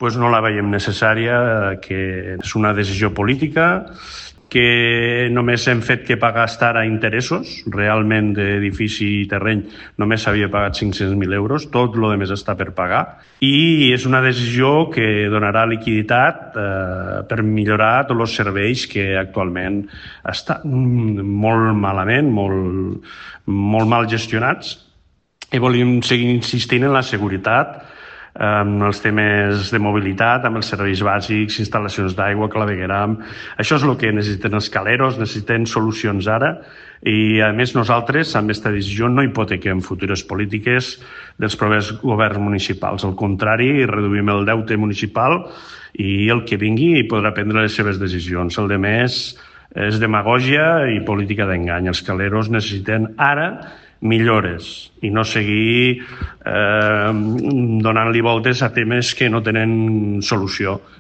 doncs no la veiem necessària, que és una decisió política, que només hem fet que pagar estar a interessos, realment d'edifici i terreny només s'havia pagat 500.000 euros, tot el més està per pagar, i és una decisió que donarà liquiditat per millorar tots els serveis que actualment estan molt malament, molt mal gestionats, i volíem seguir insistint en la seguretat, amb els temes de mobilitat, amb els serveis bàsics, instal·lacions d'aigua, clavegueram. Això és el que necessiten els caleros, necessiten solucions ara, i a més nosaltres amb aquesta decisió no hipotequem futures polítiques dels propers governs municipals. Al contrari, reduïm el deute municipal i el que vingui podrà prendre les seves decisions. El de més és demagògia i política d'engany. Els caleros necessiten ara millores i no seguir donant-li voltes a temes que no tenen solució.